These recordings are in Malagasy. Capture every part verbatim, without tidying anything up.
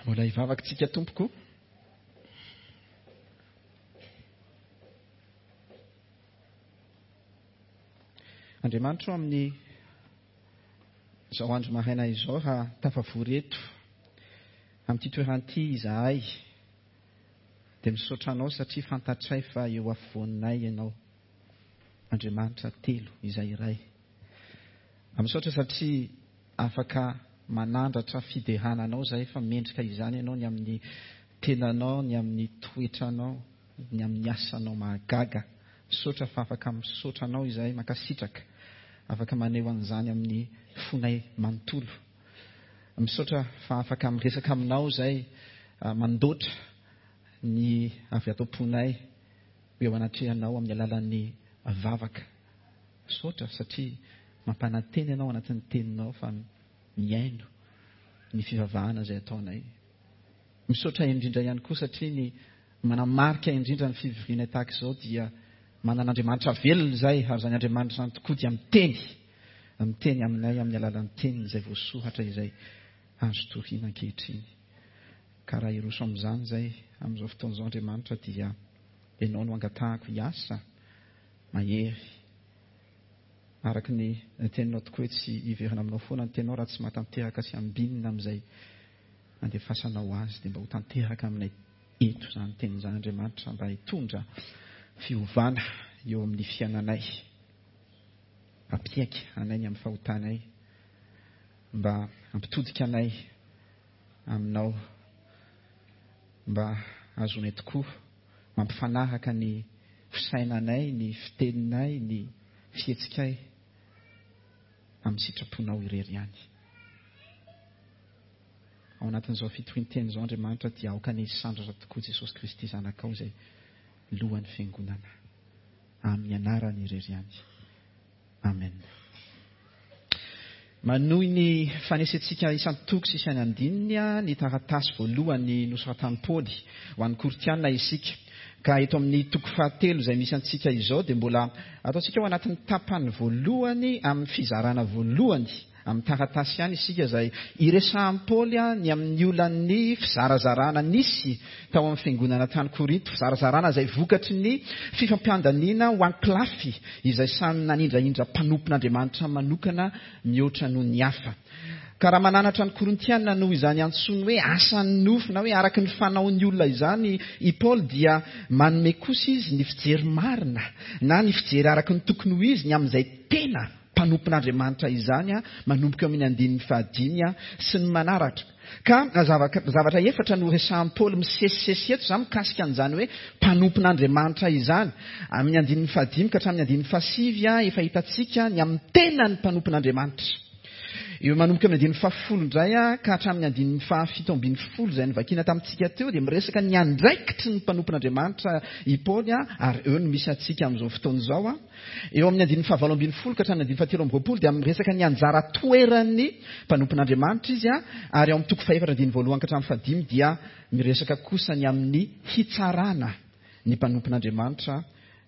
Mbola hivavaka tsika tompoko. Andriamanitra amin'ny izao andro maraina izao raha tafavory eto amin'ity toerana ity izahay dia misaotra anao satria fantatray fa eo afovoanay ianao, Andriamanitra telo izay iray. Misaotra satria afaka manandratra fiderana anao zahay fa mendrika izany ianao ny amin'ny tenanao, ny amin'ny toetranao, ny amin'ny asanao mahagaga. Misaotra fa afaka misaotra anao izahay, mankasitraka, afaka maneho an'izany amin'ny fonay manontolo. Misaotra fa afaka miresaka aminao izay, mandoatra ny avy ato am-ponay eo anatrehanao amin'ny alalan'ny vavaka. Misaotra satria mampanantena ianao anatin'ny teninao fa mihaino ny fivavahana izay ataonay. Misaotra indrindra ihany koa satria ny manamarika indrindra ny fivoriana tahaka izao dia manan'Andriamanitra velona izay, ary izany Andriamanitra izany tokoa dia miteny, miteny aminay amin'ny alalan'ny teniny izay voasoratra izay azo toriana ankehitriny. Ka raha hiroso amin'izany izay amin'izao fotoana izao Andriamanitra dia ianao no angatahako hiasa mahery araka ny teninao tokoa hoe tsy hiverina aminao foana ny teninao raha tsy mahatanteraka sy ambinina amin'izay andefasanao azy, dia mba ho tanteraka aminay eto izany teny izany Andriamanitra mba hitondra fiovana eo amin'ny fiainanay, hampiaiky anay ny amin'ny fahotanay, mba hampitodika anay aminao, mba hahazoanay tokoa mampifanaraka ny fisainanay, ny fiteninay, ny fihetsikay amin'ny sitraponao irery ihany. Ao anatin'izao fitorian-teny izao Andriamanitra dia aoka ny hisandratra tokoa Jesosy Kristy Zanakao izay lohan'ny fiangonana, amin'ny anarany irery ihany. Amen. Manohy ny fanesentsika isan-toko sy isan-andininy ny taratasy voalohany nosoratan'i Paoly ho an'ny Korintiana isika. Ka eto amin'ny toko fahatelo izay misy antsika izao dia mbola ataontsika ao anatin'ny tapany voalohany amin'ny fizarana voalohany amin'ny taratasy ihany isika izay iresahan'i Paoly ny amin'ny olan'ny fizarazarana nisy tao amin'ny fiangonana tany Korinto, fizarazarana izay vokatry ny fifampiandaniana ho ankolafy izay samy nanindrahindra mpanompon'Andriamanitra manokana mihoatra noho ny hafa. Ka raha mananatra ny Korintiana noho izany antsoiny hoe asan'ny nofo na hoe araka ny fanaon'ny olona izany i Paoly dia manome kosa izy ny fijery marina na ny fijery araka ny tokony ho izy ny amin'izay tena mpanompon'Andriamanitra izany manomboka eo amin'ny andininy fahadimy sy ny manaraka. Ka zavatra efatra no resahan'i Paoly misesisesy eto izany mikasika an'izany hoe mpanompon'Andriamanitra izany. Amin'ny andininy fahadimy ka hatramin'ny andininy fahasivy efa hitantsika ny amin'ny tenan'ny mpanompon'Andriamanitra. Eo manomboka amin'ny andininy fahafolo indray ka hatramin'ny andininy fahafito ambin'ny folo izay novakiana tamintsika teo dia miresaka ny andraikitry ny mpanompon'Andriamanitra i Paoly, ary eo no misy antsika amin'izao fotoana izao. Eo amin'ny andininy fahavalo ambin'ny folo ka hatramin'ny andininy fahatelo amby roapolo dia miresaka ny anjara toeran'ny mpanompon'Andriamanitra izy, ary ao amin'ny toko fahefatra andininy voalohany ka hatramin'ny fahadimy dia miresaka kosa ny amin'ny hitsarana ny mpanompon'Andriamanitra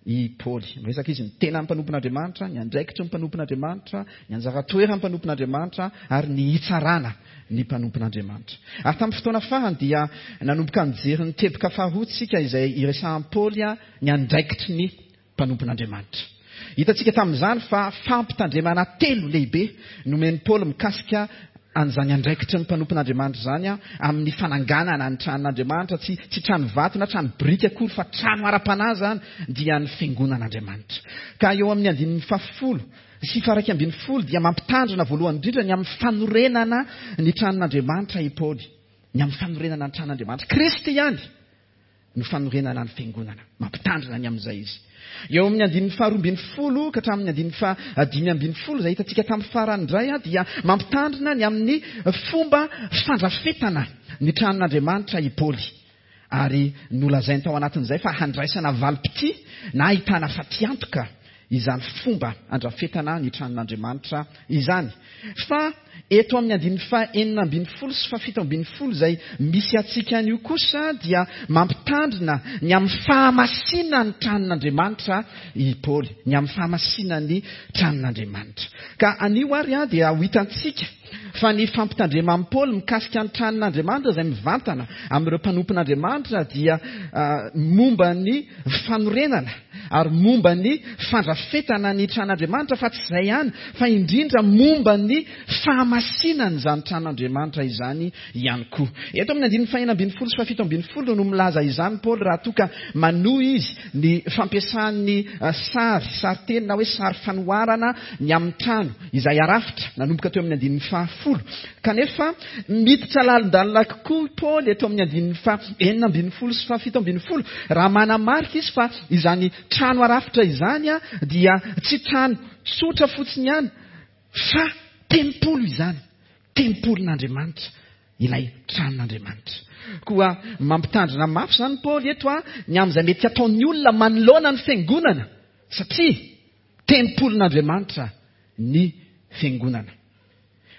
i Paoly. Miresaka izy ny tenan'ny mpanompon'Andriamanitra, ny andraikitry ny mpanompon'Andriamanitra, ny anjara toeran'ny mpanompon'Andriamanitra ary ny hitsarana ny mpanompon'Andriamanitra. Ary tamin'ny fotoana farany dia nanomboka nijery ny teboka faharoa tsika izay iresahan'i Paoly ny andraikitry ny mpanompon'Andriamanitra. Hitantsika tamin'izany fa fampitandremana telo lehibe nomen'i Paoly mikasika an'izany andraikitry ny mpanompon'Andriamanitra izany amin'ny fananganana ny tranon'Andriamanitra, tsy, tsy trano vato na trano biriky akory fa trano ara-panahy izany dia ny fiangonan'Andriamanitra. Ka eo amin'ny andininy fahafolo sy faha-iraika ambin'ny folo dia mampitandrina voalohany indrindra ny amin'ny fanorenana ny tranon'Andriamanitra i Paoly. Ny amin'ny fanorenana ny tranon'Andriamanitra. Kristy ihany no fanorenana ny fiangonana. Mampitandrina ny amin'izay izy. Eo amin'ny andininy faharoa ambin'ny folo ka hatramin'ny andininy fahadimy ambin'ny folo izay hitantsika tamin'ny farany indray dia mampitandrina ny amin'ny fomba fandrafetana ny tranon'Andriamanitra i Paoly. Ary nolazainy tao anatin'izay fa handraisana valim-pitia na ahitana fatiantoka izany fomba andrafetana ny tranon'Andriamanitra izany. Fa eto amin'ny andininy faha-enina ambin'ny folo sy fahafito ambin'ny folo izay misy antsika anio kosa dia mampitandrina ny amin'ny fahamasinan'ny tranon'Andriamanitra i Paoly, ny amin'ny fahamasinan'ny tranon'Andriamanitra. Ka anio ary dia ho hitantsika fa ny fampitandreman'i Paoly mikasika ny tranon'Andriamanitra izay mivantana amin'ireo mpanompon'Andriamanitra dia momba ny fanorenana ary momba ny fandrafetana ny tranon'Andriamanitra, fa tsy izay ihany fa indrindra momba ny fahamasinan'izany tranon'Andriamanitra izany ihany koa. Eto amin'ny andininy fahenina ambin'ny folo sy fahafito ambin'ny folo no milaza izany Paoly raha toa ka manohy izy ny fampiasan'ny sary, sary-teny na hoe sary fanoharana ny amin'ny trano izay arafitra nanomboka teo amin'ny andininy fahafolo. Kanefa miditra lalindalina kokoa Paoly eto amin'ny andininy fahenina ambin'ny folo sy fahafito ambin'ny folo raha manamarika izy fa izany trano arafitra izany dia tsy trano tsotra fotsiny ihany fa tempoly izany, tempolin'Andriamanitra, ilay tranon'Andriamanitra. Koa mampitandrina mafy izany Paoly eto a ny amin'izay mety hataon'ny olona manoloana ny fiangonana, satria tempolin'Andriamanitra ny fiangonana.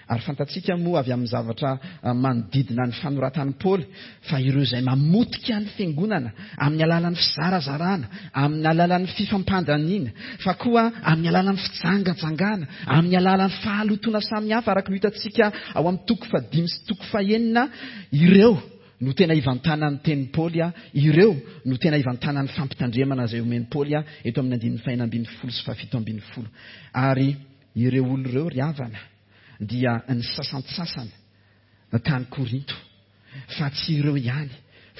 Ary fantatsika moa avy amin'ny zavatra manodidina ny fanoratan'i Paoly fa ireo izay mamotika ny fiangonana amin'ny alalan'ny fizarazarana, amin'ny alalan'ny fifampandaniana, fa koa amin'ny alalan'ny fijangajangana, amin'ny alalan'ny fahalotoana samihafa araka ny hitantsika ao amin'ny toko fahadimy sy toko fahenina, ireo no tena ivantanan'ny tenin'i Paoly, ireo no tena ivantanan'ny fampitandremana izay omen'i Paoly eto amin'ny andininy fahenina ambin'ny folo sy fahafito ambin'ny folo. Ary ireo olona ireo ry havana dia ny sasantsasany tany Korinto, fa tsy ireo ihany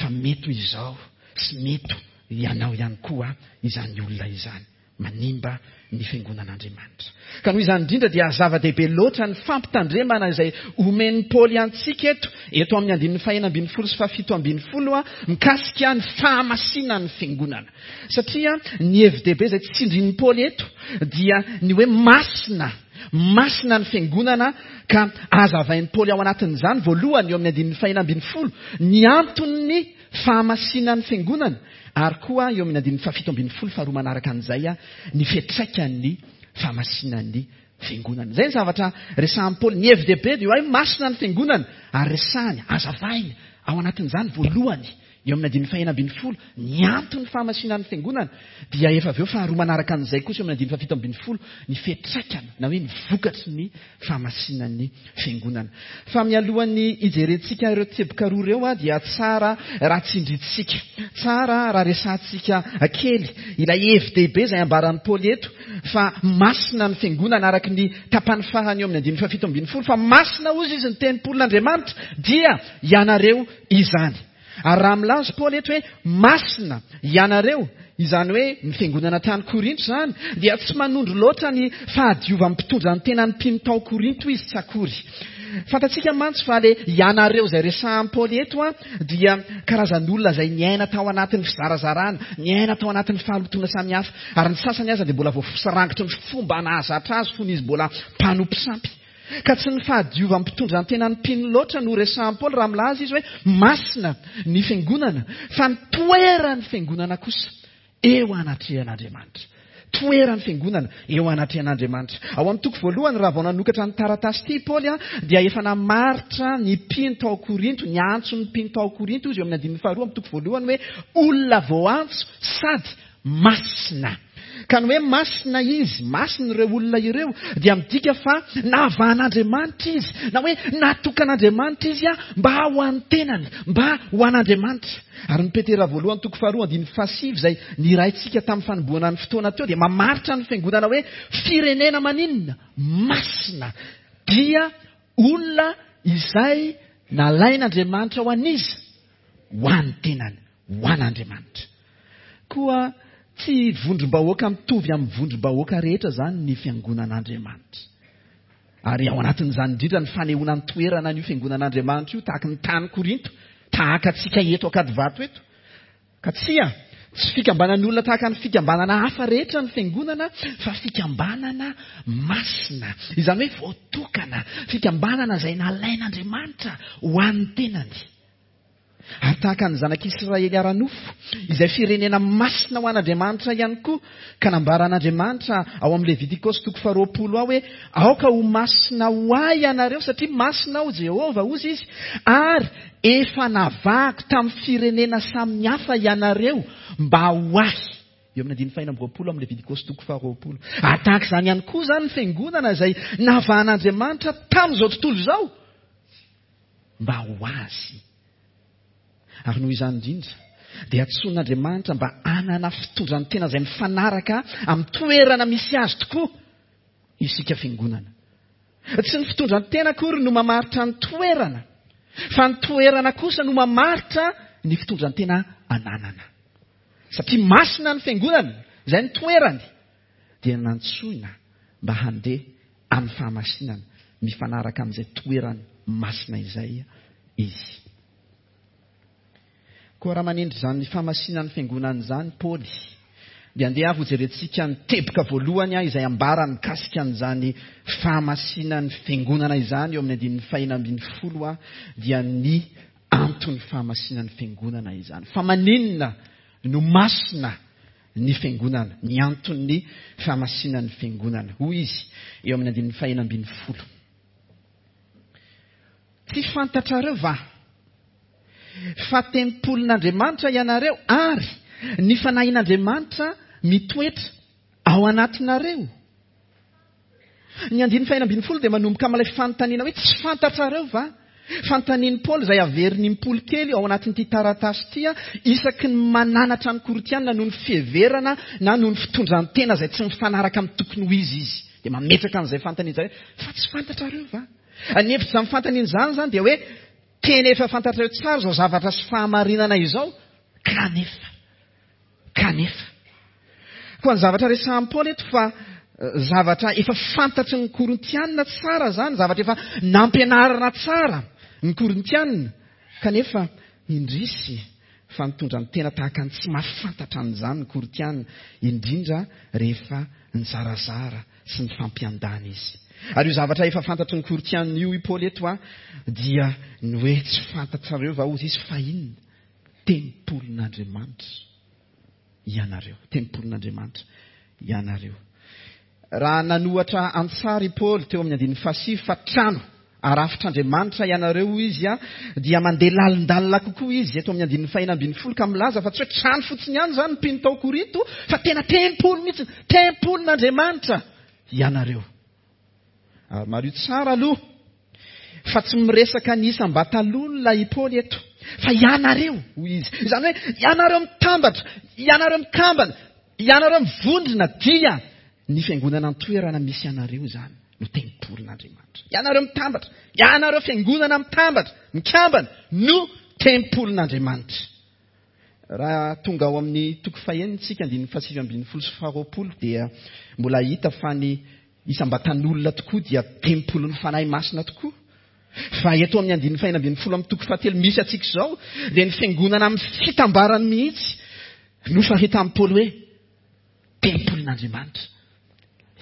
fa mety ho izao sy mety ianao ihany koa izany olona izany manimba ny fiangonan'Andriamanitra. Ka noho izany indrindra dia zava-dehibe loatra ny fampitandremana izay omen'i Paoly antsika eto, eto amin'ny andininy fahenina ambin'ny folo sy fahafito ambin'ny folo mikasika ny fahamasinan'ny fiangonana. Satria ny hevi-dehibe izay tsindrin'i Paoly eto dia ny hoe masina, masina ny fiangonana, ka azavain'i Paoly ao anatin'izany voalohany eo amin'ny andininy fahenina ambin'ny folo ny anton'ny fahamasinan'ny fiangonana, ary koa eo amin'ny andininy fahafito ambin'ny folo faharoa manaraka an'izay ny fiantraikan'ny fahamasinan'ny fiangonana. Izay ny zavatra resahan'i Paoly. Ny hevi-dehibe dia hoe masina ny fiangonana, ary resahany, azavainy ao anatin'izany voalohany eo amin'ny andininy fahenina ambin'ny folo ny anton'ny fahamasinan'ny fiangonana, dia efa avy eo faharoa manaraka an'izay kosa eo amin'ny andininy fahafito ambin'ny folo ny fiantraikana na hoe ny vokatry ny fahamasinan'ny fiangonana. Fa mialohan'ny hijerentsika ireo teboka roa ireo dia tsara raha tsindrintsika, tsara raha resahantsika kely ilay hevi-dehibe izay ambaran'i Paoly eto fa masina ny fiangonana araka ny tapany farany eo amin'ny andininy fahafito ambin'ny folo, fa masina hozy izy ny tempolin'Andriamanitra dia ianareo izany. Ary raha milaza Paoly eto hoe masina ianareo, izany hoe ny fiangonana tany Korinto izany, dia tsy manondro loatra ny fahadiovan'ny mpitondra ny tenan'ny mpino tao Korinto izy tsy akory. Fantatsika mantsy fa le ianareo izay resahan'i Paoly eto a dia karazan'olona izay niaina tao anatin'ny fizarazarana, niaina tao anatin'ny fahalotoana samihafa, ary ny sasany aza dia mbola voasarangotry ny fomba nahazatra azy fony izy mbola mpanompo sampy. Ka tsy ny fahadiovan'ny mpitondra ny tenan'ny mpino loatra no resahan'i Paoly raha milaza izy hoe masina ny fiangonana, fa ny toeran'ny fiangonana kosa eo anatrehan'Andriamanitra. Toeran'ny fiangonana eo anatrehan'Andriamanitra. Ao amin'ny toko voalohany raha vao nanokatra ny taratasy ity Paoly dia efa namaritra ny mpino tao Korinto, ny antso ny mpino tao Korinto izy eo amin'ny andininy faharoa amin'ny toko voalohany hoe olona voaantso sady masina. Ka ny hoe masina izy, masina ireo olona ireo, dia midika fa navahan'Andriamanitra izy, na hoe natokan'Andriamanitra izy mba ho an'ny tenany, mba ho an'Andriamanitra. Ary ny Petera voalohany toko faharoa andininy fahasivy izay niraintsika tamin'ny fanombohana ny fotoana teo dia mamaritra ny fiangonana hoe firenena maninona? Masina, dia olona izay nalain'Andriamanitra ho an'iza? Ho an'ny tenany, ho an'Andriamanitra. Koa tsy vondrom-bahoaka mitovy amin'ny vondrom-bahoaka rehetra izany ny fiangonan'Andriamanitra. Ary ao anatin'izany indrindra ny fanehoana ny toerana an'io fiangonan'Andriamanitra io tahaka ny tany Korinto, tahaka antsika eto Ankadivato eto. Ka tsia, tsy fikambanan'ny olona tahaka ny fikambanana hafa rehetra ny fiangonana, fa fikambanana masina, izany hoe voatokana, fikambanana izay nalain'Andriamanitra ho an'ny tenany. Ary tahaka ny zanak'Israely ara-nofo, izay firenena masina ho an'Andriamanitra ihany koa, ka nambaran'Andriamanitra ao amin'ny Levitikosy toko faharoapolo ao hoe aoka ho masina ho ahy ianareo satria masina aho Jehovah, hozy izy, ary efa navahako tamin'ny firenena samihafa ianareo mba ho ahy. Eo amin'ny andininy fahenina amby roapolo amin'ny Levitikosy toko faharoapolo. Ary tahaka izany ihany koa izany ny fiangonana izay navahan'Andriamanitra tamin'izao tontolo izao mba ho azy. Ary noho izany indrindra dia antsoin'Andriamanitra mba hanana fitondran-tena izay mifanaraka amin'ny toerana misy azy tokoa isika fiangonana. Tsy ny fitondran-tena akory no mamaritra ny toerana, fa ny toerana kosa no mamaritra ny fitondran-tena ananana. Satria masina ny fiangonana, izay ny toerany, dia nantsoina mba handeha amin'ny fahamasinana mifanaraka amin'izay toerany masina izay izy. Koa raha manendry izany fahamasinan'ny fiangonana izany Paoly, dia andeha avy hojerentsika ny teboka voalohany izay ambarany mikasika an'izany fahamasinan'ny fiangonana izany eo amin'ny andininy fahenina ambin'ny folo, dia ny anton'ny fahamasinan'ny fiangonana izany. Fa maninona no masina ny fiangonana? Ny anton'ny fahamasinan'ny fiangonana, hoy izy eo amin'ny andininy fahenina ambin'ny folo. Tsy fantatrareo va fa tempolin'Andriamanitra ianareo ary ny fanahin'Andriamanitra mitoetra ao anatinareo? Ny andininy fahenina ambin'ny folo dia manomboka amin'ilay fanontaniana hoe tsy fantatrareo va? Fanontanian'i Paoly izay averin'ny Paoly kely ao anatin'ity taratasy ity, isaky ny mananatra ny Korintianina noho ny fiheverana na noho ny fitondran-tena izay tsy mifanaraka amin'ny tokony ho izy izy. Dia mametraka an'izay fanontaniana izay hoe fa tsy fantatrareo va? Ny hevitr'izany fanontaniana izany izany dia hoe tena efa fantatrareo tsara izao zavatra sy fahamarinana izao, kanefa, kanefa. Koa ny zavatra resahan'i Paoly eto fa zavatra efa fantatry ny Korintianina tsara izany, zavatra efa nampianarina tsara ny Korintianina, kanefa indrisy fa nitondra ny tena tahaka ny tsy mahafantatra an'izany ny Korintianina, indrindra rehefa nizarazara sy nifampiandany izy. Ary io zavatra efa fantatry ny Korintianina io i Paoly eto a, dia ny hoe tsy fantatrareo va hozy izy fa inona? Tempolin'Andriamanitra ianareo. Tempolin'Andriamanitra ianareo. Raha nanohatra an-tsary i Paoly teo amin'ny andininy fahasivy fa trano arafitr'Andriamanitra ianareo hoy izy a, dia mandeha lalindalina kokoa izy eto amin'ny andininy fahenina ambin'ny folo ka milaza fa tsy hoe trano fotsiny ihany izany ny mpino tao Korinto fa tena tempoly mihitsy, tempolin'Andriamanitra ianareo. Ary mariho tsara aloha fa tsy miresaka ny isam-batan'olona i Paoly eto fa ianareo hoy izy. Izany hoe ianareo mitambatra, ianareo mikambana, ianareo mivondrona dia ny fiangonana an-toerana misy anareo izany no tempolin'Andriamanitra. Ianareo mitambatra, ianareo fiangonana mitambatra, mikambana no tempolin'Andriamanitra. Raha tonga ao amin'ny toko fahenina isika andininy fahasivy ambin'ny folo sy faharoapolo dia mbola hita fa ny isam-batan'olona tokoa dia tempolin'ny Fanahy Masina tokoa. Fa eto amin'ny andininy fahenina ambin'ny folo amin'ny toko fahatelo misy antsika izao dia ny fiangonana amin'ny fitambarany mihitsy no faritan'i Paoly hoe tempolin'Andriamanitra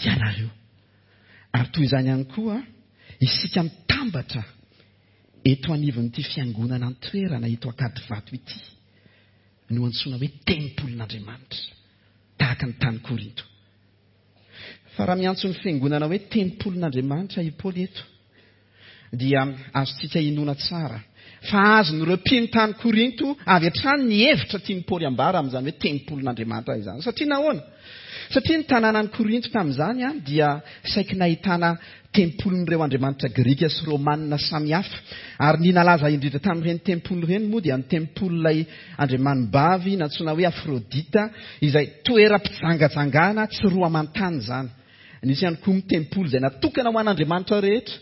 ianareo. Ary toy izany ihany koa isika mitambatra eto anivon'ity fiangonana an-toerana eto Ankadivato ity no antsoina hoe tempolin'Andriamanitra tahaka ny tany Korinto. Fa raha miantso ny fiangonana hoe tempolin'Andriamanitra i Paoly eto dia azontsika inoana tsara fa azon'ireo mpino tany Korinto avy hatrany ny hevitra tian'i Paoly ambara amin'izany hoe tempolin'Andriamanitra izany. Satria nahoana? Satria ny tanànan'i Korinto tamin'izany a, dia saiky nahitana tempolin'ireo andriamanitra grika sy romanina samihafa. Ary ny nalaza indrindra tamin'ireny tempoly ireny moa dia ny tempolin'ilay andriamanibavy nantsoina hoe Afrodita, izay toeram-pijangajangana tsy roa aman-tany izany. Nisy ihany koa ny tempoly izay natokana ho an'andriamanitra rehetra.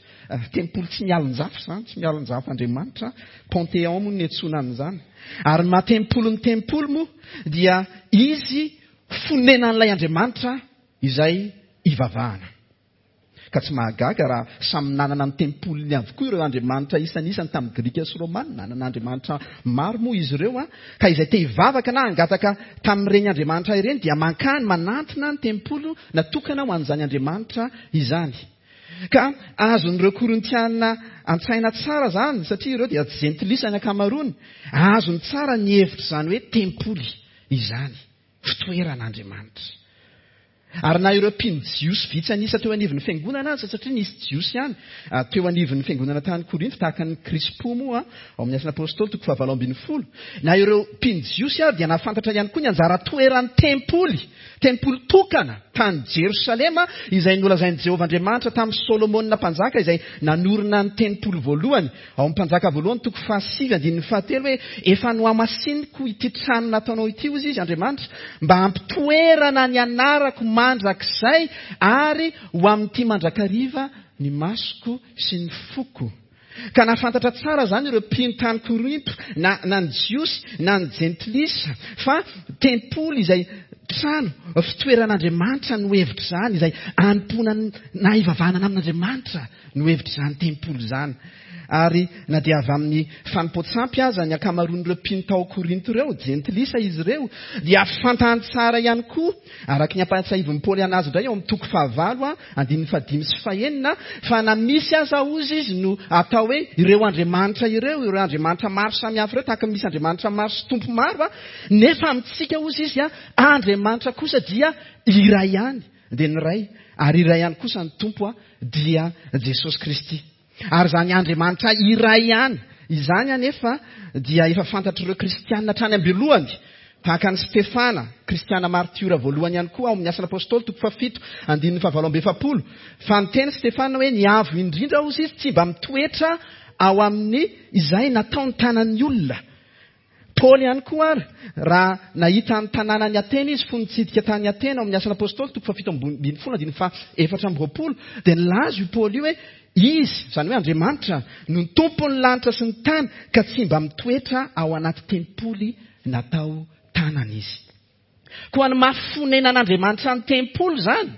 Tempoly tsy mialon-jafy izany, tsy mialon-jafy andriamanitra. Panthéon moa no niantsoana an'izany. Ary ny maha tempoly ny tempoly moa dia izy fonenan'ilay andriamanitra izay ivavahana. Ka tsy mahagaga raha samy nanana ny tempoliny avokoa ireo andriamanitra isanisany tamin'ny grika sy romana. Nanana andriamanitra maro moa izy ireo a, ka izay te hivavaka na hangataka tamin'ireny andriamanitra ireny dia mankany manantona ny tempoly natokana ho an'izany andriamanitra izany. Ka azon'ireo Korintiana an-tsaina tsara izany, satria ireo dia jentilisa ny ankamaroany. Azony tsara ny hevitra izany hoe tempoly izany, fitoeran'Andriamanitra. Ary na ireo mpino jiosy vitsy an'isa teo anivon'ny fiangonana aza, satria nisy jiosy ihany teo anivon'ny fiangonana tany Korinto, tahaka ny Krispo moa ao amin'ny Asan'ny Apôstôly toko fahavalo ambin'ny folo. Na ireo mpino jiosy ary dia nahafantatra ihany koa ny anjara toeran'ny tempoly, tempoly tokana tany Jerosalema, izay nolazain'i Jehovah Andriamanitra tamin'i Solomona mpanjaka, izay nanorina ny tempoly voalohany. Ao amin'ny Mpanjaka voalohany toko fahasivy andininy fahatelo hoe efa nohamasiniko ity trano nataonao ity, hoy izy Andriamanitra, mba hampitoerana ny anarako mandrakizay ary ho amin'ity mandrakariva ny masoko sy ny foko. Ka nahafantatra tsara izany ireo mpino tany Korinto, na, na ny Jiosy na ny Jentilisa, fa tempoly izay trano fitoeran'Andriamanitra no hevitra izany, izay anompoana na ivavahana amin'Andriamanitra no hevitra izany tempoly izany. Ary na dia avy amin'ny fanompoan-tsampy aza ny ankamaroan'ireo mpino tao Korinto ireo, jentilisa izy ireo, dia fantany tsara ihany koa, araka ny ampahatsiahivin'i Paoly anazy indray ao amin'ny toko fahavalo, andininy fahadimy sy fahenina, fa na misy aza hozy izy no atao hoe ireo andriamanitra ireo, ireo andriamanitra maro samihafa ireo, tahaka ny misy andriamanitra maro sy tompo maro, nefa amintsika hozy izy, Andriamanitra kosa dia iray ihany, dia ny Ray, ary iray ihany kosa ny Tompo, dia Jesosy Kristy. Ary izany Andriamanitra iray ihany izany anefa dia efa fantatr'ireo kristiana hatrany am-boalohany, tahaka an'i Stefana, kristiana martiora voalohany ihany koa ao amin'ny Asan'ny Apôstôly toko fahafito andininy fahavalo amby efapolo, fa niteny Stefana hoe ny avo indrindra hozy izy tsy mba mitoetra ao amin'ny izay nataony tanan'ny olona. Paoly ihany koa ary raha nahita ny tanànan'i Atena izy fony nitsidika tany Atena ao amin'ny Asan'ny Apôstôly toko fahafito ambin'ny folo andininy fahaefatra amby roapolo, dia nilaza io Paoly io hoe izy, izany hoe Andriamanitra, no ny tompon'ny lanitra sy ny tany, ka tsy mba mitoetra ao anaty tempoly natao tanana izy. Koa ny maha-fonenan'Andriamanitra ny tempoly izany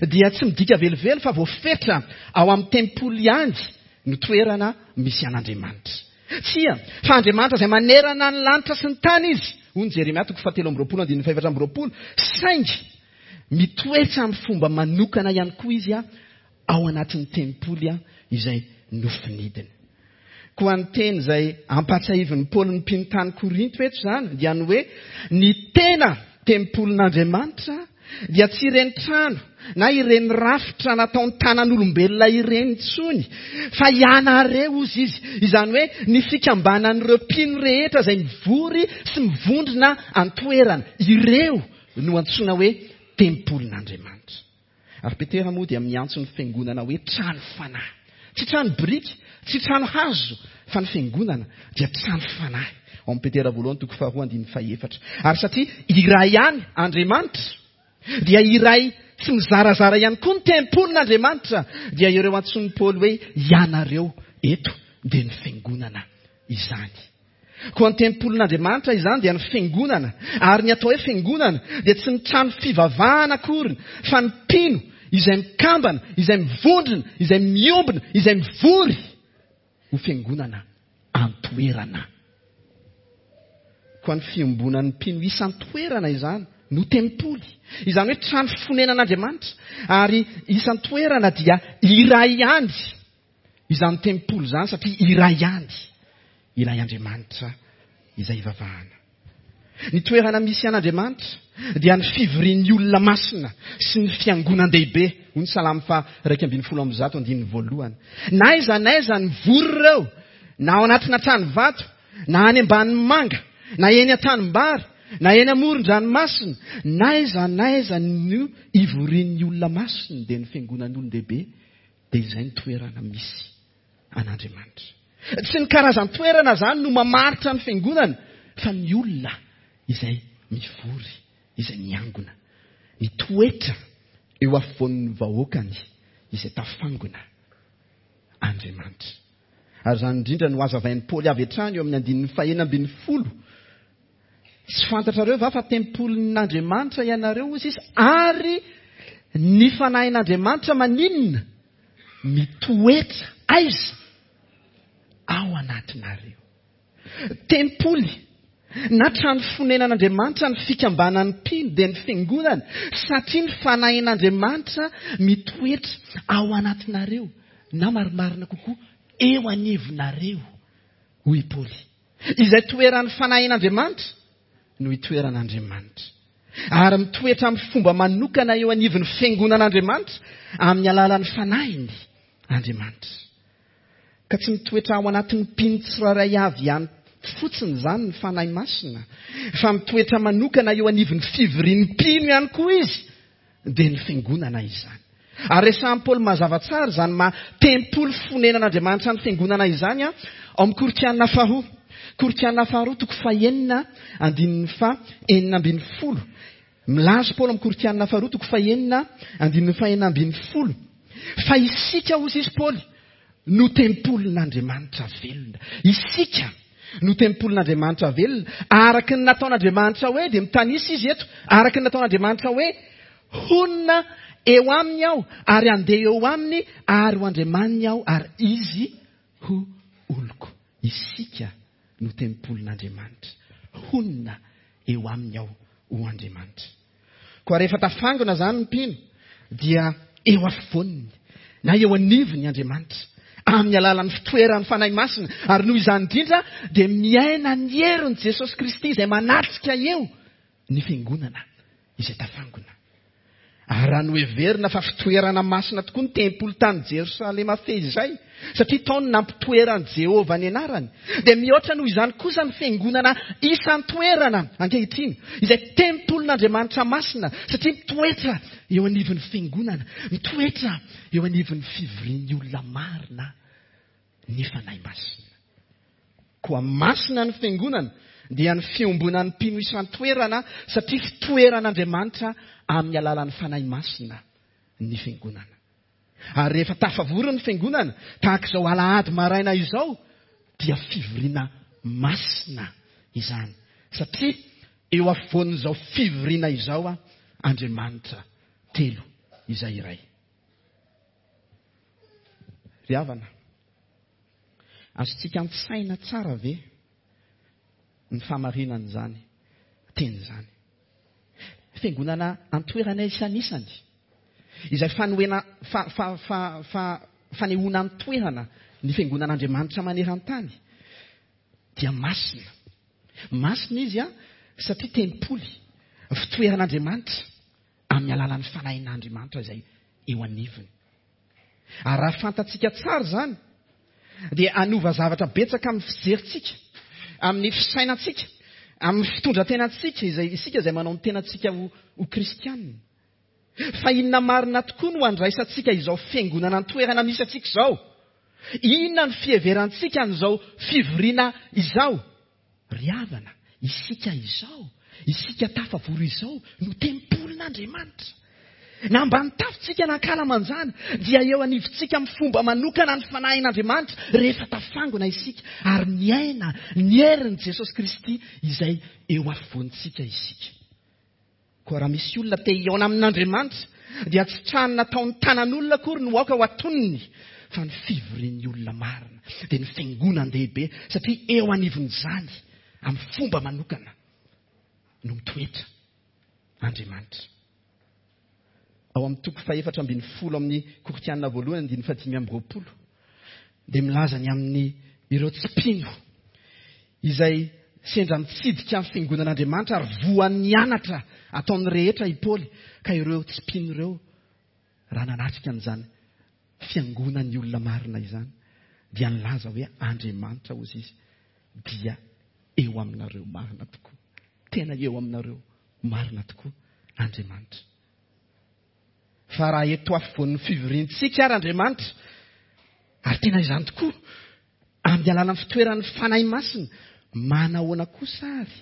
dia tsy midika velively fa voafetra ao amin'ny tempoly ihany no toerana misy an'Andriamanitra. Tsia, fa Andriamanitra izay manerana ny lanitra sy ny tany izy, hoy ny Jeremia toko fahatelo amby roapolo andininy fahefatra amby roapolo, saingy mitoetra amin'ny fomba manokana ihany koa izy ao anatin'ny tempoly izay nofinidiny. Koa ny teny izay ampahatsiahivin'i Paoly ny mpino tany Korinto eto izany dia ny hoe ny tena tempolin'Andriamanitra dia tsy ireny trano na ireny rafitra nataony tanan'olombelona ireny intsony, fa ianareo hozy izy, izany hoe ny fikambanan'ireo mpino rehetra izay mivory sy mivondrona an-toerana, ireo no antsoina hoe tempolin'Andriamanitra. Ary Petera moa dia miantso ny fiangonana hoe trano fanahy. Tsy trano biriky, tsy trano hazo, fa ny fiangonana dia trano fanahy. Ao amin'ny Petera voalohany toko faharoa andininy fahefatra. Ary satria iray ihany Andriamanitra, dia iray tsy mizarazara ihany koa ny tempolin'Andriamanitra, dia ireo antsoin'i Paoly hoe ianareo eto dia ny fiangonana izany. Koa ny tempolin'Andriamanitra izany dia ny fiangonana, ary ny atao hoe fiangonana dia tsy ny trano fivavahana akory, fa ny mpino izay mikambana, izay mivondrona, izay miombona, izay mivory ho fiangonana an-toerana. Koa ny fiombonan'ny mpino isan-toerana izany no tempoly, izany hoe trano fonenan'Andriamanitra, ary isan-toerana dia iray ihany izany tempoly izany, satria iray ihany ilay Andriamanitra izay ivavahana. Ny toerana misy an'Andriamanitra dia ny fivorian'ny olona masina sy ny fiangonan-dehibe, hoy ny Salamo faha iraika ambin'ny folo amby zato andininy voalohany. Na aiza na aiza ny vory ireo, na ao anatina trano vato, na any ambanin'ny manga, na eny an-tanimbary, na eny amoron-dranomasina, na aiza na aiza no ivorian'ny olona masina, dia ny fiangonan'olon-dehibe, dia izay ny toerana misy an'Andriamanitra. Tsy ny karazan-toerana izany no mamaritra ny fiangonana, fa ny olona izay mivory, izay miangona, mitoetra eo afovoan'ny vahoakany izay tafangona Andriamanitra. Ary izany indrindra no hazavain'i Paoly avy hatrany eo amin'ny andininy fahenina ambin'ny folo. Tsy fantatrareo va fa tempolin'Andriamanitra ianareo, hoy izy, ary ny fanahin'Andriamanitra maninona? Mitoetra aiza? Ao anatinareo. Tempoly Na trano fonenan'Andriamanitra ny fikambanan'ny mpino dia ny fiangonana, satria ny fanahin'Andriamanitra mitoetra ao anatinareo, na marimarina kokoa eo anivonareo, hoy Paoly. Izay toeran'ny fanahin'Andriamanitra no itoeran'Andriamanitra. Ary mitoetra amin'ny fomba manokana eo anivon'ny fiangonan'Andriamanitra amin'ny alalan'ny fanahiny Andriamanitra. Ka tsy mitoetra ao anatin'ny mpino tsirairay avy ihany fotsiny izany ny Fanahy Masina, fa mitoetra manokana eo anivon'ny fivorian'ny mpino ihany koa izy, dia ny fiangonana izany. Ary resahin'i Paoly mazava tsara izany maha tempoly fonenan'Andriamanitra ny fiangonana izany ao amin'ny Korintiana faharoa. Korintiana faharoa toko fahenina andininy faha enina ambin'ny folo. Milaza Paoly amin'ny Korintiana faharoa toko fahenina andininy faha enina ambin'ny folo fa isika, hoy izy Paoly, no tempolin'Andriamanitra velona. Isika no tempolin'Andriamanitra velona. Araka ny nataon'Andriamanitra hoe, dia mitanisa izy eto, araka ny nataon'Andriamanitra hoe, honina eo aminy aho ary handeha eo aminy ary ho Andriamaniny aho ary izy ho oloko. Isika no tempolin'Andriamanitra. Honina eo aminy aho ho Andriamanitra. Koa rehefa tafangona izany ny mpino dia eo afovoaniny na eo anivony Andriamanitra amin'ny alalan'ny fitoeran'ny Fanahy Masina, ary noho izany indrindra dia miaina ny herin'i Jesosy Kristy izay manatrika eo ny fiangonana izay tafangona. Ary raha noheverina fa fitoerana masina tokoa ny tempoly tany Jerosalema fehizay, satria tao no nampitoeran'i Jehovah ny anarany, dia mihoatra noho izany kosa ny fiangonana isan-toerana ankehitriny, izay tempolin'Andriamanitra masina, satria mitoetra eo anivon'ny fiangonana, mitoetra eo anivon'ny fivorian'ny olona marina ny Fanahy Masina. Koa masina ny fiangonana, dia ny fiombonan'ny mpino isan-toerana, satria fitoeran'Andriamanitra amin'ny alalan'ny Fanahy Masina ny fiangonana. Ary rehefa tafavory ny fiangonana, tahaka izao alahady maraina izao, dia fivoriana masina izany, satria eo afovoan'izao fivoriana izao Andriamanitra telo izay iray. Ry havana, azontsika an-tsaina tsara ve ny fahamarinan'izany teny izany? Fiangonana antoerana isanisany, izay fanoena, fa, fa, fa, fa, fanehoana antoerana ny fiangonan'Andriamanitra maneran-tany, dia masina. Masina izy a, satria tempoly, fitoeran'Andriamanitra amin'ny alalan'ny fanahin'Andriamanitra izay eo anivony. Ary raha fantatsika tsara izany, dia hanova zavatra betsaka amin'ny fijerintsika, amin'ny fisainantsika, amin'ny fitondran-tenantsika, izay isika izay manao ny tenantsika ho, ho kristianina. Fa inona marina tokoa no andraisantsika izao fiangonana an-toerana misy antsika izao? Inona ny fiheverantsika an'izao fivoriana izao? Ry havana, isika izao, isika tafavory izao no tempolin'Andriamanitra. Na ambany tafontsika na ankalamanjana, dia eo anivontsika amin'ny fomba manokana ny fanahin'Andriamanitra rehefa tafangona isika ary miaina ny herin'i Jesosy Kristy izay eo afovoantsika isika. Koa raha misy olona te hihaona amin'Andriamanitra, dia tsy trano nataon'ny tanan'olona akory no aoka ho atoniny, fa ny fivorian'ny olona marina, dia ny fiangonan-dehibe, satria eo anivon'izany amin'ny fomba manokana no mitoetra Andriamanitra. Ao amin'ny toko fahefatra ambin'ny folo amin'ny Korintiana voalohany andininy fahadimy amby roapolo, dia milaza ny amin'ny ireo tsy mpino izay sendra mitsidika ny fiangonan'Andriamanitra ary voan'ny anatra ataon'ny rehetra i Paoly, ka ireo tsy mpino ireo raha nanatrika an'izany fiangonan'ny olona marina izany, dia nilaza hoe Andriamanitra hozy izy dia eo aminareo marina tokoa. Tena eo aminareo marina tokoa Andriamanitra. Fa raha eto afovoan'ny fivoriantsika ary Andriamanitra, ary tena izany tokoa, amin'ny alalan'ny fitoeran'ny Fanahy Masina, manahoana kosa ary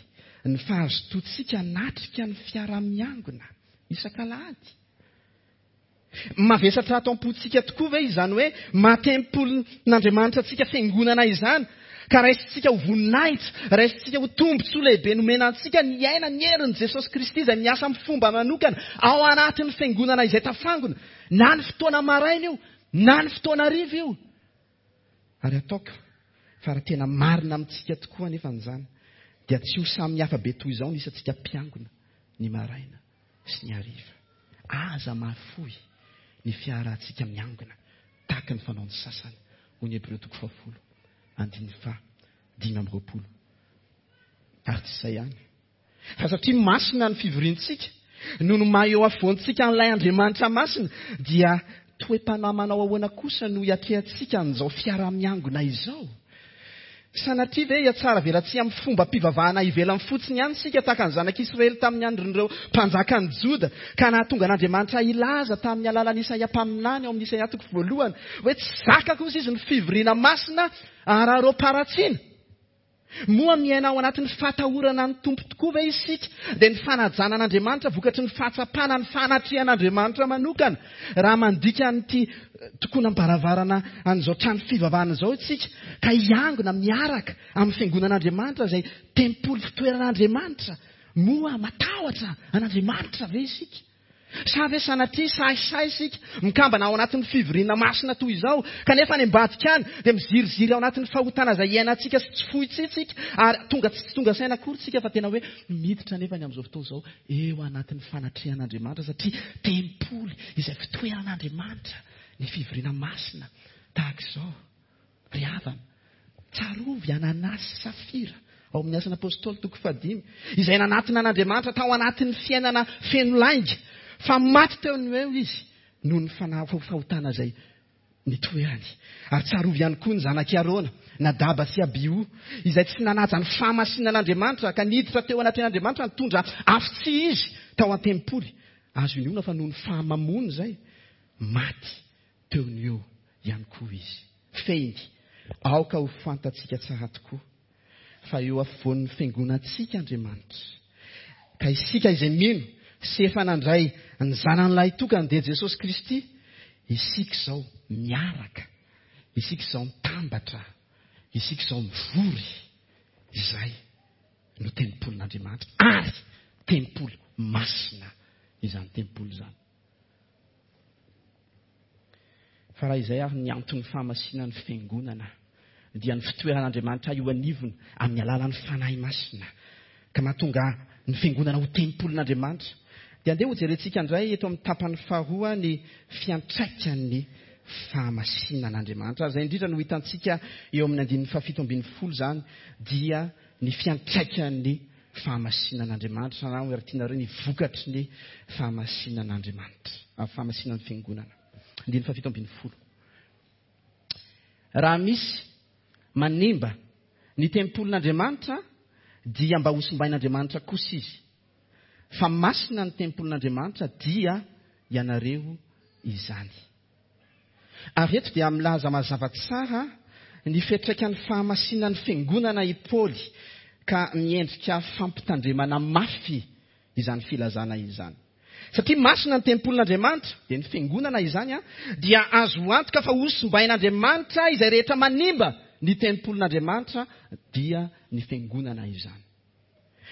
ny fahazotoantsika hanatrika ny fiaraha-miangona isak'alahady? Mavesatra ato am-pontsika tokoa ve izany hoe maha-tempolin'Andriamanitra antsika fiangonana izany, ka raisintsika ho voninahitra, raisintsika ho tombontsoa lehibe nomena antsika ny aina ny herin'i Jesosy Kristy izay miasa amin'ny fomba manokana ao anatin'ny fiangonana izay tafangona, na ny fotoana maraina io, na ny fotoana hariva io. Ary ataoko fa raha tena marina amintsika tokoa anefa an'izany, dia tsy ho samy hafa be toy izao ny isantsika mpiangona ny maraina sy ny hariva. Aza mahafoy ny fiarahantsika miangona tahaka ny fanaon'ny sasany, hoy ny Hebreo toko fahafolo andininy faha dimy amby roapolo. Ary tsy izay ihany, fa satria masina ny fivoriantsika, noho ny maha eo afovoantsika an'ilay Andriamanitra masina, dia toe-panahy manao ahoana kosa no hiatrehantsika an'izao fiaraha-miangona izao? Sanatria ve hiatsara velatsihy amin'ny fombam-pivavahana ivelany fotsiny ihany isika, tahaka ny zanak'Israely tamin'ny andron'ireo mpanjakan'i Joda, ka nahatonga an'Andriamanitra hilaza tamin'ny alalan'i Isaia mpaminany ao amin'ny Isaia toko voalohany hoe tsy zaka kosa izy ny fivoriana masina araraom-paharatsiana? Moa miaina ao anatin'ny fahatahorana ny Tompo tokoa ve isika, dia ny fanajana an'Andriamanitra vokatry ny fahatsapana ny fanatrehan'Andriamanitra manokana? Raha mandika an'ity tokonam-baravarana an'izao trano fivavahana izao isika, ka hiangona miaraka amin'ny fiangonan'Andriamanitra izay tempoly fitoeran'Andriamanitra, moa matahotra an'Andriamanitra ve isika? Sa ve sanatria sahisahy isika mikambana ao anatin'ny fivoriana masina toy izao, kanefa any ambadika any dia miziriziry ao anatin'ny fahotana izay iainantsika sy tsy fointsika, ary tonga tsy tonga saina akory isika fa tena hoe miditra nefa ny amin'izao fotoana izao eo anatin'ny fanatrehan'Andriamanitra, satria tempoly izay fitoeran'Andriamanitra ny fivoriana masina tahaka izao. Ry havana, tsarovy Ananasy sy Safira ao amin'ny Asan'ny Apôstôly toko fahadimy, izay nanatona an'Andriamanitra tao anatin'ny fiainana feno lainga, fa maty teo no eo izy noho ny fahotana izay nitoerany. Ary tsarovy ihany koa ny zanak'i Arona, Nadaba sy Abiho, izay tsy nanaja ny fahamasinan'Andriamanitra ka niditra teo anatrehan'Andriamanitra nitondra afo tsy izy tao an-tempoly. Azo inoana fa noho ny fahamamoany izay, maty teo no eo ihany koa izy. Fehiny, aoka ho fantatsika tsara tokoa fa eo afovoan'ny fiangonantsika Andriamanitra, ka isika izay mino sy efa nandray ny zanany lahitokany dia Jesosy Kristy, isika izao miaraka, isika izao mitambatra, isika izao mivory, izay no tempolin'Andriamanitra, ary tempoly masina izany tempoly izany. Fa raha izay ary ny anton'ny fahamasinan'ny fiangonana, dia ny fitoeran'Andriamanitra eo anivony amin'ny alalan'ny Fanahy Masina, ka mahatonga ny fiangonana ho tempolin'Andriamanitra. Dia andeha hojerentsika indray eto amin'ny tapany faharoa ny fiantraikan'ny fahamasinan'Andriamanitra. Ary izay indrindra no hitantsika eo amin'ny andininy fahafito ambin'ny folo izany, dia ny fiantraikan'ny fahamasinan'Andriamanitra, na raha tianareo ny vokatry ny fahamasinan'Andriamanitra, fahamasinan'ny fiangonana. Andininy fahafito ambin'ny folo. Raha misy manimba ny tempolin'Andriamanitra, dia mba hosimbain'Andriamanitra kosa izy. Fa masina ny tempolin'Andriamanitra, dia ianareo izany. Ary eto dia milaza mazava tsara ny fiantraikan'ny fahamasinan'ny fiangonana i Paoly, ka miendrika fampitandremana mafy izany filazana izany. Satria masina ny tempolin'Andriamanitra, dia ny fiangonana izany, dia azo antoka fa hosimbain'Andriamanitra izay rehetra manimba ny tempolin'Andriamanitra, dia ny fiangonana izany.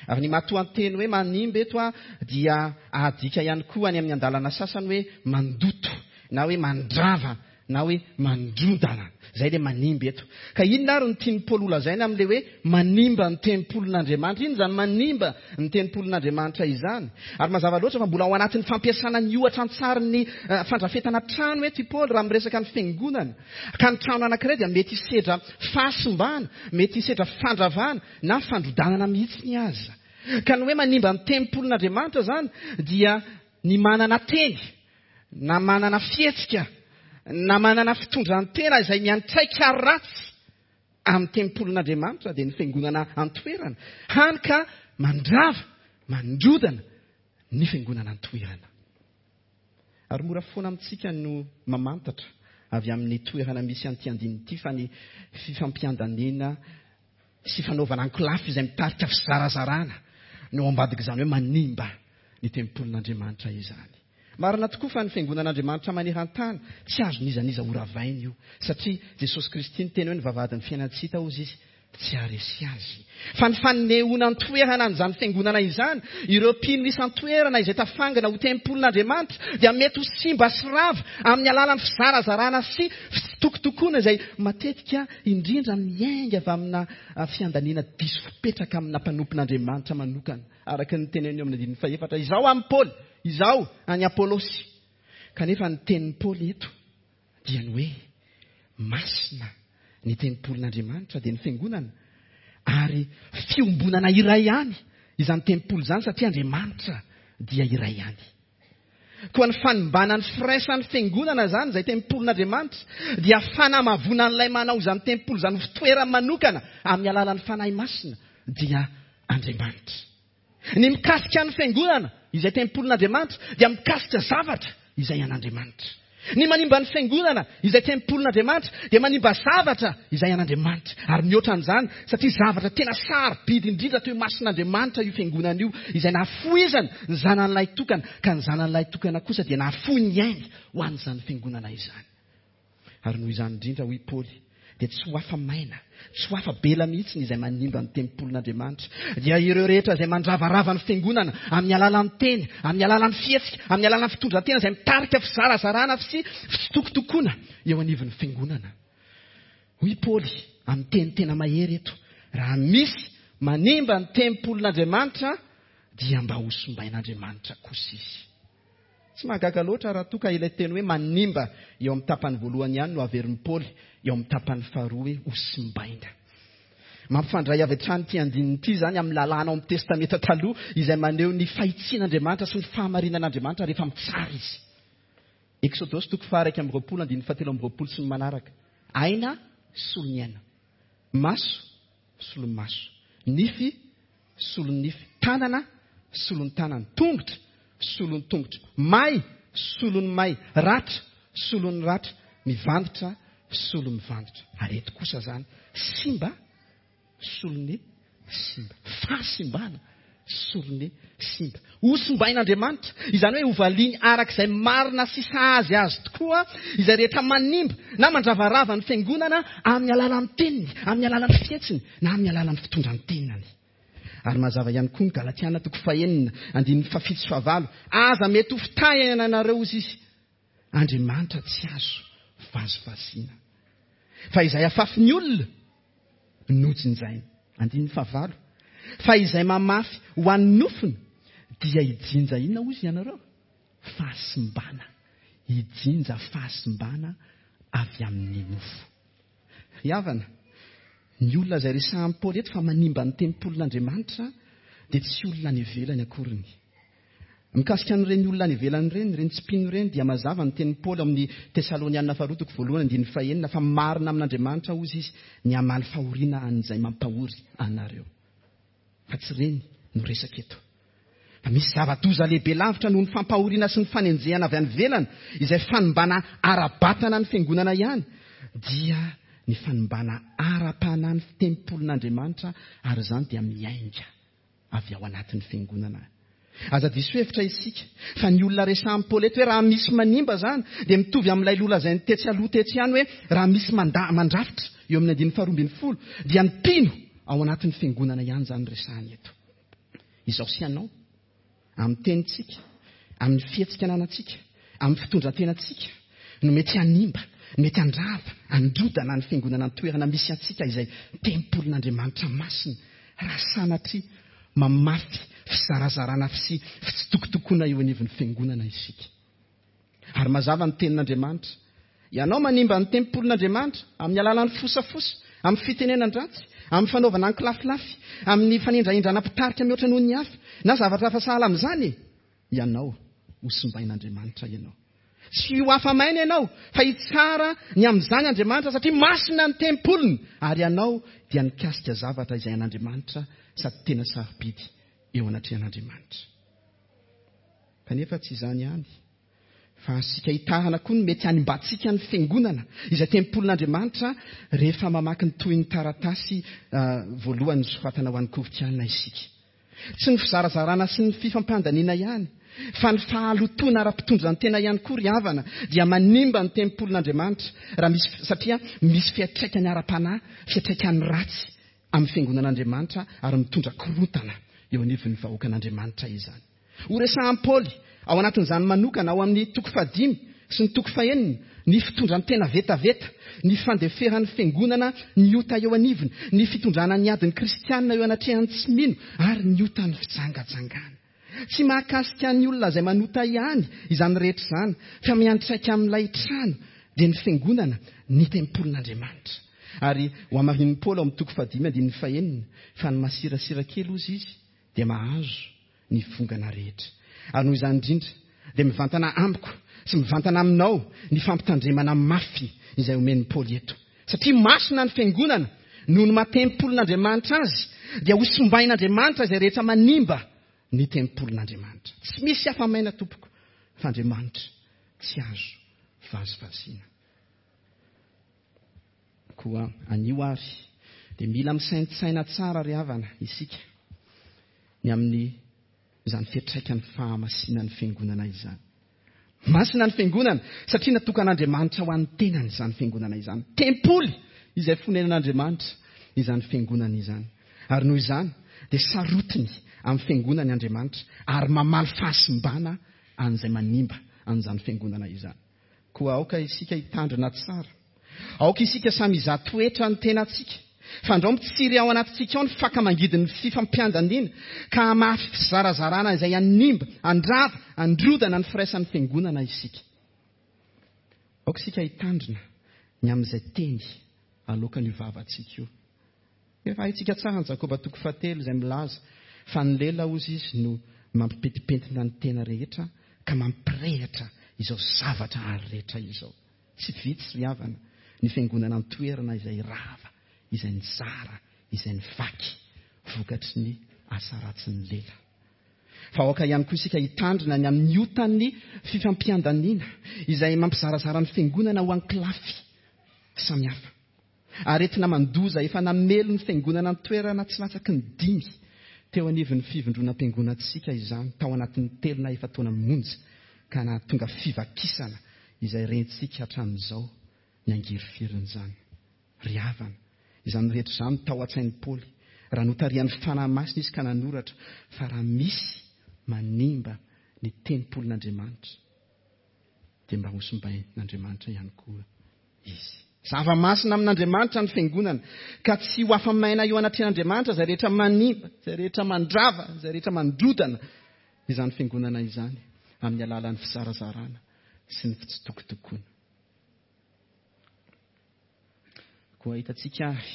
Ary ny matoanteny hoe manimba eto dia adika ihany koa any amin'ny andalana sasany hoe mandoto, na hoe mandrava, na hoe mandrodana. Izay ilay manimba eto. Ka inona ary no tian'i Paoly holazaina amin'ilay hoe manimba ny tempolin'Andriamanitra? Inona izany manimba ny tempolin'Andriamanitra izany? Ary mazava loatra fa mbola ao anatin'ny fampiasana ny ohatra an-tsarin'ny fandrafetana trano eto i Paoly raha miresaka ny fiangonana. Ka ny trano anankiray dia mety hisedra fahasimbana, mety hisedra fandravana na fandrodanana mihitsy ny aza. Ka ny hoe manimba ny tempolin'Andriamanitra izany dia ny manana teny na manana fihetsika na manana fitondran-tena izay miantraika ratsy amin'ny tempolin'Andriamanitra, dia ny fiangonana an-toerana, hany ka mandrava, mandrodana ny fiangonana an-toerana. Ary mora foana amintsika no mamantatra avy amin'ny toerana misy an'ity andininy ity fa ny fifampiandanina sy fanaovana ankolafy izay mitarika fizarazarana no ao ambadik'izany hoe manimba ny tempolin'Andriamanitra izany. Marina tokoa fa ny fiangonan'Andriamanitra maneran-tany tsy azon'iza n'iza horavaina io, satria Jesosy Kristy niteny hoe ny vavahadin'ny fiainan-tsy hita hozy izy tsy haharesy azy. Fa ny fanehoana an-toerana an'izany fiangonana izany, ireo mpino isan-toerana izay tafangana ho tempolin'Andriamanitra dia mety ho simba sy rava amin'ny alalan'ny fizarazarana sy fitsitokotokoana izay matetika indrindra miainga avy amina fiandaniana diso fipetraka amina mpanompon'Andriamanitra manokana, araka ny teneniny eo amin'ny andininy fahefatra, izao amin'i Paoly, izao an'i Apolosy. Kanefa ny tenin'i Paoly eto dia ny hoe masina ny tempolin'Andriamanitra, dia ny fiangonana, ary fiombonana iray ihany izany tempoly izany satria Andriamanitra dia iray ihany. Koa ny fanimbana ny firaisan'ny fiangonana izany, izay tempolin'Andriamanitra, dia fanamavoana an'ilay manao izany tempoly izany ho fitoerany manokana amin'ny alalan'ny Fanahy Masina, dia Andriamanitra. Ny mikasika ny fiangonana, izay tempolin'Andriamanitra, dia mikasika zavatra izay an'Andriamanitra. Ny manimba ny fiangonana, izay tempolin'Andriamanitra, dia manimba zavatra izay an'Andriamanitra. Ary mihoatra an'izany, satria zavatra tena sarobidy indrindra teo imason'Andriamanitra io fiangonana io, izay nahafoizany ny zanany tokana, ka ny zanany tokana kosa dia nahafoy ny ainy ho an'izany fiangonana izany. Ary noho izany indrindra, hoy Paoly, dia tsy ho afa-maina, tsy ho afa-bela mihitsy ny izay manimba ny tempolin'Andriamanitra. Dia ireo rehetra izay mandravarava ny fiangonana amin'ny alalan'ny teny, amin'ny alalan'ny fihetsika, amin'ny alalan'ny fitondran-tena izay mitarika fizarazarana sy fitsitokotokoana eo anivon'ny fiangonana. Hoy Paoly amin'ny teny tena mahery eto, raha misy manimba ny tempolin'Andriamanitra dia mba hosimbain'Andriamanitra kosa izy. Tsy mahagaga loatra raha toa ka ilay teny hoe manimba eo amin'ny tapany voalohany ihany no averin'i Paoly eo amin'ny tapany faharoa hoe hosimbaina. Mampifandray avy hatrany ity andininy ity izany amin'ny lalàna ao amin'ny Testamenta taloha izay maneho ny fahitsian'Andriamanitra sy ny fahamarinan'Andriamanitra rehefa mitsara izy. Eksodosy toko faha-iraika amby roapolo andininy fahatelo amby roapolo sy ny manaraka. Aina solon'ny aina, maso solon'ny maso, nify solon'ny nify, tanana solon'ny tanana, tongotra solon'ny tongotra, may solon'ny may, ratra solon'ny ratra, mivanditra solon'ny mivanditra. Ary eto kosa izany simba solon'ny simba, fahasimbana solon'ny simba. Hosimbain'Andriamanitra, izany hoe hovaliany arak'izay marina sy sahazy azy tokoa izay rehetra manimba na mandravarava ny fiangonana amin'ny alalan'ny teniny, amin'ny alalan'ny fihetsiny na amin'ny alalan'ny fitondran-tenany. Ary mazava ihany koa ny Galatiana toko fahenina andininy fahafito sy fahavalo. Aza mety ho fitahina anareo, hoy izy, Andriamanitra tsy azo vazivaziana, fa izay afafin'ny olona no jinjainy. Andininy fahavalo. Fa izay mamafy ho an'ny nofony dia hijinja inona, hoy izy ianareo? Fahasimbana. Hijinja fahasimbana avy amin'ny nofo. Ry havana, ny olona izay resahan'i Paoly eto fa manimba ny tempolin'Andriamanitra dia tsy olona any ivelany akoriny. Mikasika an'ireny olona any ivelany ireny, ireny tsy mpino ireny, dia mazava ny tenin'i Paoly amin'ny Tesalonianina faharoa toko voalohany andininy fahenina fa marina amin'Andriamanitra hozy izy ny hamaly fahoriana an'izay mampahory anareo. Fa tsy ireny no resaka eto. Fa misy zava-doza lehibe lavitra noho ny fampahoriana sy ny fanenjehana avy any ivelany, izay fanimbana ara-batana ny fiangonana ihany, dia ny fanimbana ara-panahy ny tempolin'Andriamanitra, ary izany dia miainga avy ao anatin'ny fiangonana. Aza diso hevitra isika fa ny olona resahan'i Paoly eto hoe raha misy manimba izany dia mitovy amin'ilay nolazainy tetsy aloha tetsy ihany hoe raha misy manda-, mandrafitra eo amin'ny andininy faharoa ambin'ny folo dia ny mpino ao anatin'ny fiangonana ihany izany resahany eto. Izao sy ianao, amin'ny tenintsika, amin'ny fihetsika ananantsika, amin'ny fitondran-tenantsika no mety hanimba, mety handrava, handrodana ny fiangonana ny toerana misy antsika izay tempolin'Andriamanitra masina, raha sanatria mamafy fizarazarana sy fitsitokotokoana eo anivon'ny fiangonana isika. Ary mazava ny tenin'Andriamanitra. Ianao manimba ny tempolin'Andriamanitra amin'ny alalan'ny fosafosa, amin'ny fitenenan-dratsy, amin'ny fanaovana ankilafilafy, amin'ny fanindrahindrana mpitarika mihoatra noho ny hafa, na zavatra hafa sahala amin'izany, ianao ho simbain'Andriamanitra ianao. Tsy ho afa-maina ianao, fa hitsara ny amin'izany Andriamanitra satria masina ny tempoliny, ary ianao dia nikasika zavatra izay an'Andriamanitra sady tena sarobidy eo anatrehan'Andriamanitra. Kanefa tsy izany ihany, fa asika hitarana koa ny mety hanimbantsika ny fiangonana izay tempolin'Andriamanitra rehefa mamaky ny tohin'ny taratasy, ah, voalohany nosoratana ho an'ny Korintiana isika. Tsy ny fizarazarana sy ny fifampandaniana ihany, fa ny fahalotoana ara-pitondran-tena ihany koa ry havana dia manimba ny tempolin'Andriamanitra raha misy, satria misy fiantraikany ara-panahy, fiantraikany ratsy amin'ny fiangonan'Andriamanitra ary mitondra korontana eo anivon'ny vahoakan'Andriamanitra izany. Ho resahan'i Paoly ao anatin'izany manokana ao amin'ny toko fahadimy sy ny toko fahenina ny fitondran-tena vetaveta, ny fandeferan'ny fiangonana ny ota eo anivony, ny fitondrana ny adin'ny kristianina eo anatrehan'ny tsy mino ary ny otan'ny fijangajangana. Tsy mahakasika ny olona izay manota ihany izany rehetra izany, fa miantraika amin'ilay trano dia ny fiangonana, ny tempolin'Andriamanitra. Ary ho hamarinin'i Paoly ao amin'ny toko fahadimy andininy fahenina fa ny masirasira kely hozy izy dia mahazo ny vongana rehetra. Ary noho izany indrindra dia mivantana amiko sy mivantana aminao ny fampitandremana mafy izay omen'i Paoly eto. Satria masina ny fiangonana noho ny maha tempolin'Andriamanitra azy, dia ho simbain'Andriamanitra izay rehetra manimba ny tempolin'Andriamanitra. Tsy misy afa-maina tompoko fa Andriamanitra tsy azo vazivaziana. Koa anio ary dia mila misaintsaina tsara ry havana isika ny amin'ny izany fiantraikan'ny fahamasinan'ny fiangonana izany. Masina ny fiangonana satria natokan'Andriamanitra ho an'ny tenany izany fiangonana izany. Tempoly izay fonenan'Andriamanitra izany fiangonana izany. Ary noho izany dia sarotiny amin'ny fiangonany Andriamanitra ary mamaly fahasimbana an'izay manimba an'izany fiangonana izany. Koa aoka isika hitandrina tsara. Aoka isika samy hizaha toetra ny tenantsika. Fandrao mitsiry ao anatintsika ao ny faka mangidin'ny fifampiandaniana ka hamafy fizarazarana izay hanimba, handrava, handrodana ny firaisan'ny fiangonana isika. Aoka isika hitandrina ny amin'izay teny aloakan'io vavantsika io. Efa haintsika tsara ny Jakoba toko fahatelo izay milaza fa ny lela hozy izy no mampipentipentina ny tena rehetra ka mampirehitra izao zavatra ary rehetra izao. Tsy vitsy ry havana ny fiangonana an-toerana izay rava, izay nizara, izay nivaky vokatry ny asa ratsin'ny lela. Fa aoka ihany koa isika hitandrina ny amin'ny otan'ny fifampiandaniana izay mampizarazara ny fiangonana ho ankilafy samihafa. Aretina mandoza efa namelo ny fiangonana an-toerana tsy latsaky ny dimy teo anivon'ny fivondronam-piangonantsika izany tao anatin'ny telo na efa-taona monja ka nahatonga fivakisana izay rentsika hatramin'izao ny angirifirin'izany. Ry havana, izany rehetra izany tao an-tsain'i Paoly raha notarihan'ny Fanahy Masina izy ka nanoratra fa raha misy manimba ny tempolin'Andriamanitra dia mba hosimbain'Andriamanitra ihany koa izy. Zava-masina amin'Andriamanitra ny fiangonana ka tsy ho afa-maina eo anatrehan'Andriamanitra izay rehetra manimba, izay rehetra mandrava, izay rehetra mandrodana izany fiangonana izany amin'ny alalan'ny fizarazarana sy ny fitsitokotokoana. Koa hitantsika ary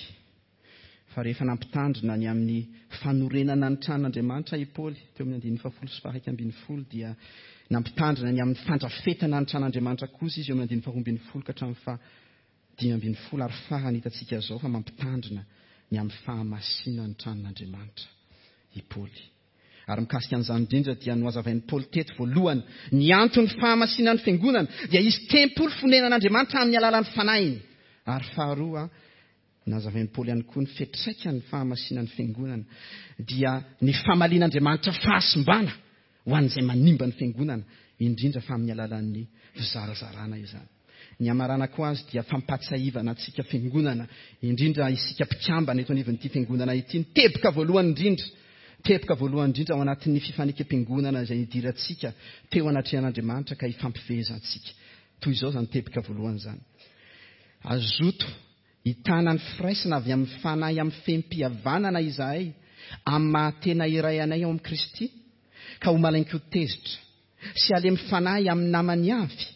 fa rehefa nampitandrina ny amin'ny fanorenana ny tranon'Andriamanitra i Paoly teo amin'ny andininy fahafolo sy faha-iraika ambin'ny folo dia nampitandrina ny amin'ny fandrafetana ny tranon'Andriamanitra kosa izy eo amin'ny andininy faharoa ambin'ny folo ka hatramin'ny fahadimy ambin'ny folo ary farany hitantsika izao fa mampitandrina ny amin'ny fahamasinan'ny tranon'Andriamanitra i Paoly. Ary mikasika an'izany indrindra dia nohazavain'i Paoly teto voalohany ny anton'ny fahamasinan'ny fiangonana dia izy tempoly fonenan'Andriamanitra amin'ny alalan'ny fanahiny. Ary faharoa, nazavain'i Paoly ihany koa ny fiantraikan'ny fahamasinan'ny fiangonana dia ny famalian'Andriamanitra fahasimbana ho an'izay manimba ny fiangonana, indrindra fa amin'ny alalan'ny fizarazarana izany. Ny hamaranako azy dia fampahatsiahivana antsika fiangonana, indrindra isika mpikambana eto anivon'ity fiangonana ity, ny teboka voalohany indrindra, teboka voalohany indrindra ao anatin'ny fifanekem-piangonana izay nidirantsika teo anatrehan'Andriamanitra ka hifampifehezantsika. Toy izao izany teboka voalohany izany. Azoto hitana ny firaisana avy amin'ny fanahy amin'ny fehim-pihavanana izahay amin'ny maha-tena iray anay ao amin'i Kristy, ka ho malain-ko tezitra sy halemy fanahy amin'ny namany avy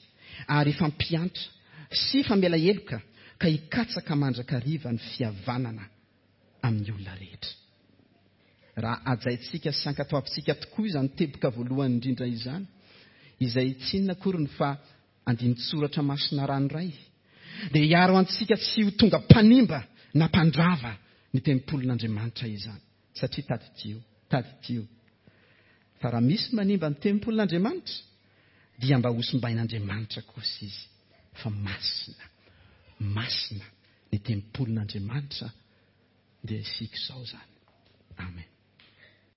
ary hifampiantra sy hifamela heloka ka hikatsaka mandrakariva ny fihavanana amin'ny olona rehetra. Raha hajaintsika sy ankatoavintsika tokoa izany teboka voalohany indrindra izany, izay tsy inona akory ny fa andinin-tsoratra masina ranoray, dia hiaro antsika tsy ho tonga mpanimba na mpandrava ny tempolin'Andriamanitra izany. Satria tadidio, tadidio fa raha misy manimba ny tempolin'Andriamanitra dia mba hosimbain'Andriamanitra kosa izy, fa masina, masina ny tempolin'Andriamanitra dia isika izao izany. Amen.